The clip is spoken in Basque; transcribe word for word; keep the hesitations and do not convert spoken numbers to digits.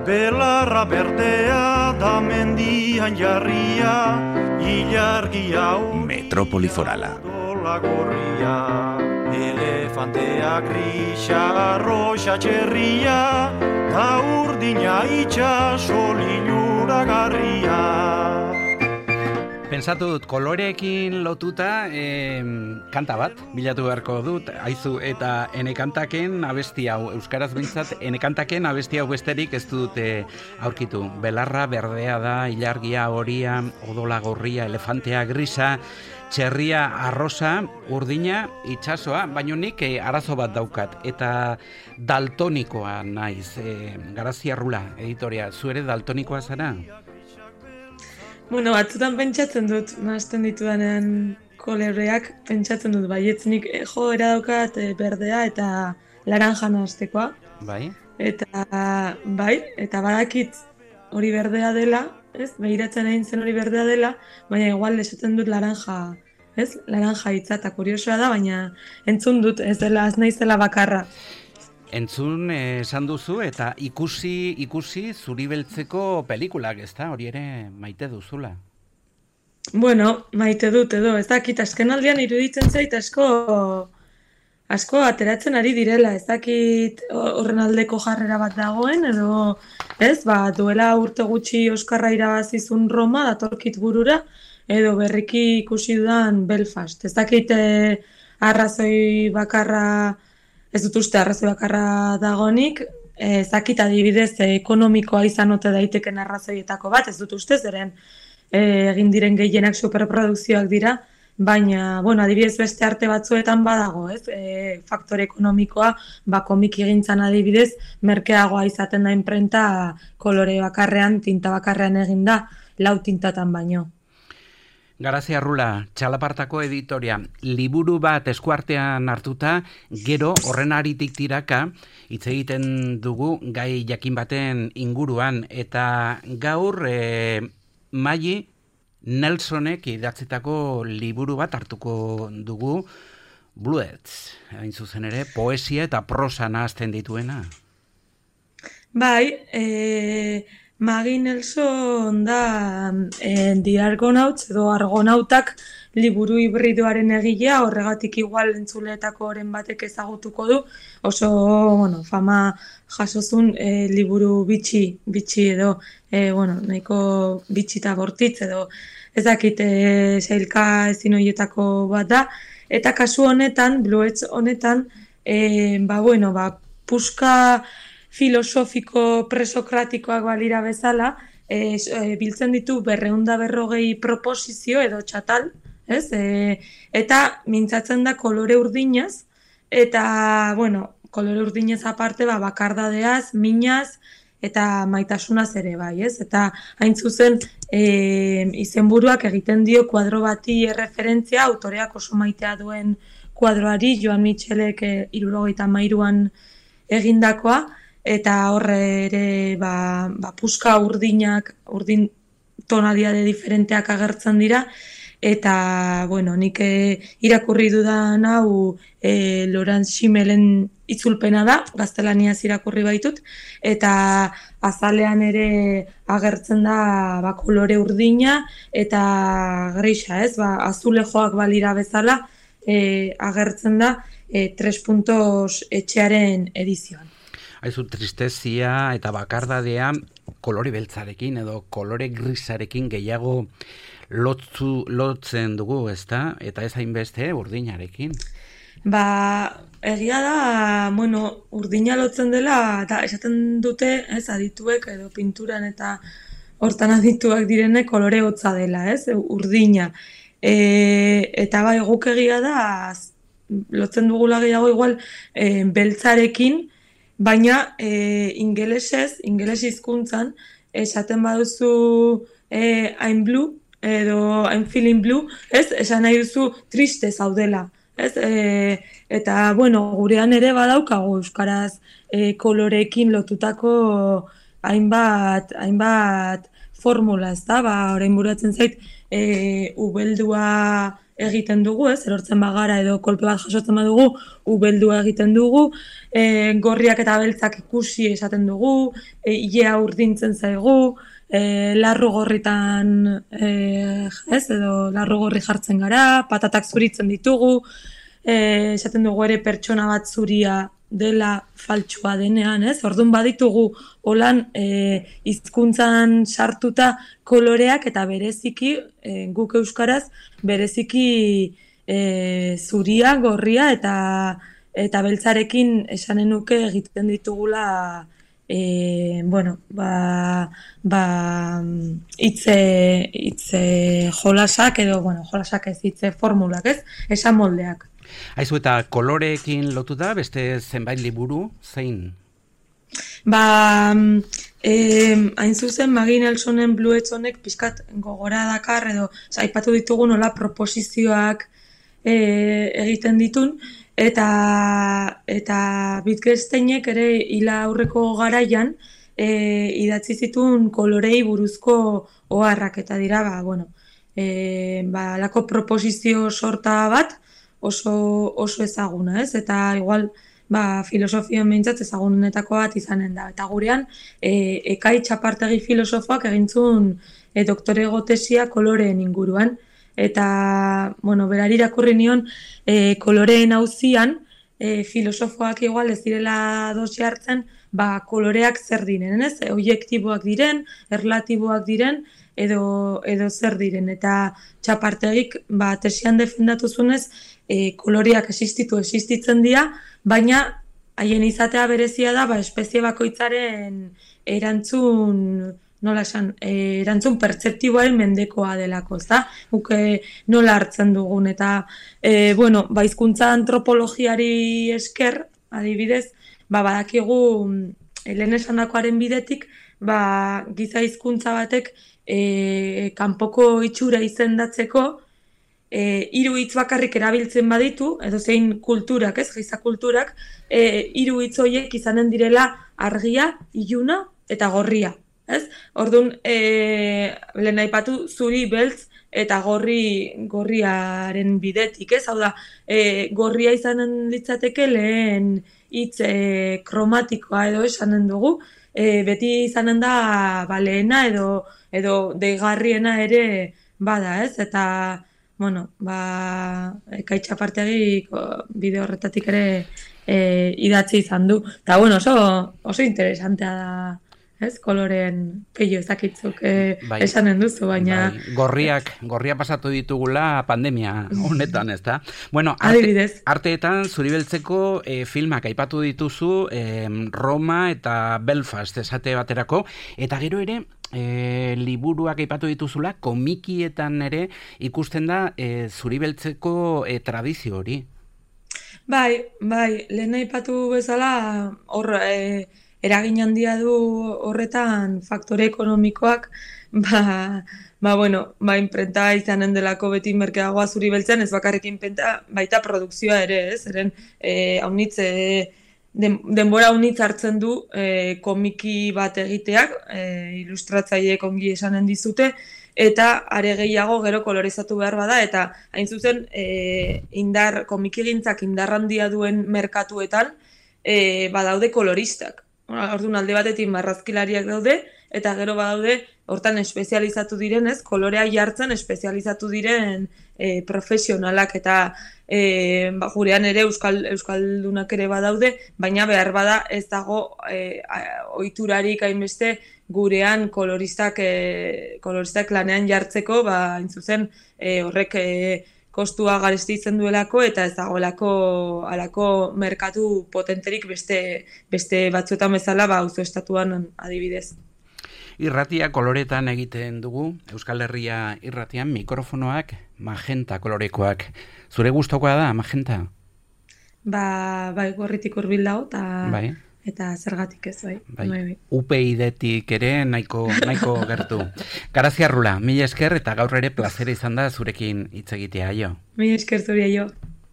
Belarra berdea da mendian jarria, ilargia Metropoli Forala. odola gorria. Elefantea grisa, arroxa txerria, ta urdina itxaso liluragarria. Pentsatu dut, koloreekin lotuta eh, kanta bat, bilatu beharko dut, aizu, eta ene kantaken abesti hau, euskaraz bintzat, ene kantaken abesti hau besterik ez dute aurkitu. Belarra berdea da, ilargia horia, odola gorria, elefantea grisa, txerria arrosa, urdina, itxasoa, baino nik eh, arazo bat daukat, eta daltonikoa naiz, eh, Garazia Rula, editoria, zu ere daltonikoa zara? Bueno, batzutan pentsatzen dut, nahasten ditudanean koloreak, pentsatzen dut, baietz nik eh, jo daukat eh, berdea eta laranja nahaztekoa. Bai? Eta bai, eta badakit hori berdea dela, ez? Begiratzen egin zen hori berdea dela, baina igual esaten dut laranja, ez? Laranja hitza eta kuriosoa da, baina entzun dut, ez dela, ez naizela bakarra. Entzun eh, esan duzu eta ikusi ikusi zuri beltzeko pelikulak, ezta? Hori ere maite duzula. Bueno, maite dut edo, ez dakit, azkenaldian iruditzen zait asko asko ateratzen ari direla, ez dakit horren aldeko jarrera bat dagoen, edo, ez, ba, duela urte gutxi Oskarra irabazizun Roma, datorkit burura, edo berriki ikusi dudan Belfast. Ez dakit eh, arrazoi bakarra, ez dut uste arrazoi bakarra dagonik, ez dakit adibidez eh, ekonomikoa izan ote daiteken arrazoietako bat, ez dut uste, zeren eh, egin diren gehienak superprodukzioak dira, baina, bueno, adibidez beste arte batzuetan badago, ez? E, faktore ekonomikoa, ba, komiki egintzan adibidez, merkeagoa izaten da inprenta kolore bakarrean, tinta bakarrean eginda, lau tintatan baino. Garazia Rula, Txalapartako editoria, liburu bat eskuartean hartuta, gero horren aritik tiraka, hitz egiten dugu gai jakin baten inguruan, eta gaur e, Maggie Nelsonek idatzitako liburu bat hartuko dugu, Bluets, hain zuzen ere, poesia eta prosa nahazten dituena. Bai, e, Maggie Nelson da e, The Argonauts edo Argonautak liburu hibridoaren egilea, horregatik igual entzuleetako oren batek ezagutuko du, oso, bueno, fama jasozun e, liburu bitxi, bitxi edo, e, bueno, nahiko bitxi eta bortitz edo, ezakit e, sailka ezin horietako bat da, eta kasu honetan, Bluets honetan, e, ba, bueno, ba, puska filosofiko presokratikoak balira bezala, e, e, biltzen ditu berreunda berrogei proposizio edo txatal, ez? E, eta mintzatzen da kolore urdinaz, eta, bueno, kolore urdinez aparte, ba, bakardadeaz, minaz, eta maitasunaz ere bai, ez? Eta hain zuzen e, izenburuak egiten dio kuadro bati erreferentzia, autoreak oso maitea duen kuadroari, Joan Michelek e, hirurogeita hamairuan egindakoa, eta horre ere ba, ba, puska urdinak, urdin tonalidade diferenteak agertzen dira, eta, bueno, nik e, irakurri dudan hau e, Laurent Schimelen itzulpena da, gaztelaniaz irakurri baitut, eta azalean ere agertzen da ba, kolore urdina eta grisa, ez? Ba, azulejoak balira bezala e, agertzen da e, tres puntos etxearen edizioan. Haizu, tristezia eta bakardadea kolore beltzarekin edo kolore grisarekin gehiago lotzu, lotzen dugu, ezta? Eta ez hainbeste urdinarekin. Ba, egia da, bueno, urdina lotzen dela, eta esaten dute, ez, adituek edo pinturan eta hortan adituak direne kolore hotza dela, ez, urdina. E, eta bai, guk egia da, lotzen dugula gehiago igual e, beltzarekin, baina e, ingelesez, ingeles hizkuntzan, esaten baduzu e, I'm blue, edo I'm feeling blue, ez, esan nahi duzu triste zaudela. Ez, e, eta, bueno, gurean ere badaukagu euskaraz e, koloreekin lotutako hainbat, hainbat formula, ez da, ba, orain buratzen zait, e, ubeldua egiten dugu, ez, erortzen bagara edo kolpe bat jasotzen badugu, ubeldua egiten dugu, e, gorriak eta beltzak ikusi esaten dugu, e, ilea urdintzen zaigu, e, larru gorritan, e, ez, edo larru gorri jartzen gara, patatak zuritzen ditugu, e, esaten dugu ere pertsona bat zuria dela faltsua denean, ez? Orduan baditugu holan e, hizkuntzan sartuta koloreak eta bereziki, e, guk euskaraz, bereziki e, zuria, gorria eta eta beltzarekin esanen nuke egiten ditugula e, bueno, ba, ba hitze hitze jolasak edo, bueno, jolasak ez hitze formulak, ez? Esan moldeak. Aizu, eta koloreekin lotu da, beste zenbait liburu, zein? Ba, eh, hain zuzen, Maggie Nelsonen Blue Edge honek pixkat gogora dakar, edo aipatu ditugu nola proposizioak eh, egiten ditun, eta, eta Wittgensteinek ere hila aurreko garaian eh, idatzi zituen kolorei buruzko oharrak, eta dira, ba, bueno, eh, ba, lako proposizio sorta bat, oso oso ezaguna, ez? Eta igual, ba, filosofian behintzat ezagunetako bat izanen da. Eta gurean, e, Ekai Txapartegi filosofoak egintzun e, doktorego tesia koloreen inguruan. Eta, bueno, berari irakurri nion, e, koloreen auzian, e, filosofoak igual ez direla dosi hartzen, ba, koloreak zer diren, ez? Objektiboak diren, erlatiboak diren, edo, edo zer diren. Eta Txapartegik, ba, tesian defendatu zunez, E, koloreak existitu existitzen dira, baina haien izatea berezia da, ba, espezie bakoitzaren erantzun, nola esan, e, erantzun pertzeptiboaren mendekoa delako, ezta? Guk e, nola hartzen dugun, eta, e, bueno, ba, hizkuntza antropologiari esker, adibidez, ba, badakigu, e, lehen esandakoaren bidetik, ba, giza hizkuntza batek e, kanpoko itxura izendatzeko, E, hiru hitz bakarrik erabiltzen baditu, edo zein kulturak, ez, giza kulturak, e, hiru hitz horiek izanen direla argia, iluna eta gorria, ez? Orduan, e, lehen aipatu zuri, beltz eta gorri gorriaren bidetik, ez? Hau da, e, gorria izanen litzateke lehen hitz e, kromatikoa edo esanen dugu, e, beti izanen da ba, lehena edo, edo deigarriena ere bada, ez? Eta bueno, ba, Ekai Txapartegi bide horretatik ere e, idatzi izan du. Eta, bueno, oso, oso interesantea da, ez? Koloreen peio ezakitzuk e, bai, esanen duzu, baina... Bai. Gorriak, gorria pasatu ditugula pandemia honetan, ez da? Bueno, arte, arteetan Zuribeltzeko e, filmak aipatu dituzu e, Roma eta Belfast esate baterako, eta gero ere... E, liburuak aipatu dituzula, komikietan ere ikusten da e, Zuribeltzeko e, tradizio hori. Bai, bai, lehen aipatu bezala hor e, eragin handia du horretan faktore ekonomikoak, ba, ba bueno, ba inprenta izanen delako beti merkeagoa Zuribeltzen, ez bakarrik inprenta, baita produkzioa ere, ez? Eren e, haunitz e, Den, denbora unitz hartzen du e, komiki bat egiteak, e, ilustratzaileek ongi esanen dizute, eta are gehiago gero kolorizatu behar bada, eta hain zuzen e, indar, komikigintzak indar handia duen merkatuetan e, badaude koloristak. Orduan alde batetik marrazkilariak daude, eta gero badaude hortan espezializatu direnez, kolorea jartzen espezializatu diren e, profesionalak, eta e, ba, gurean ere euskal, euskaldunak ere badaude, baina behar bada ez dago e, ohiturarik hainbeste gurean koloristak, e, koloristak lanean jartzeko, ba, hain zuzen e, horrek e, kostua garestitzen duelako, eta ez dagoelako alako merkatu potenterik beste, beste batzuetan bezala, ba, auzo estatuan adibidez. Irratia koloretan egiten dugu, Euskal Herria irratian mikrofonoak magenta kolorekoak. Zure gustokoa da, magenta? Ba, bai, gorritik hurbil dago, eta... Bai. Eta zergatik ez, bai. bai. bai, bai. U P I D-tik ere nahiko, nahiko gertu. Garazia Rula, mila esker eta gaur ere plazera izan da zurekin hitz egitea, jo. Mila esker zure, jo.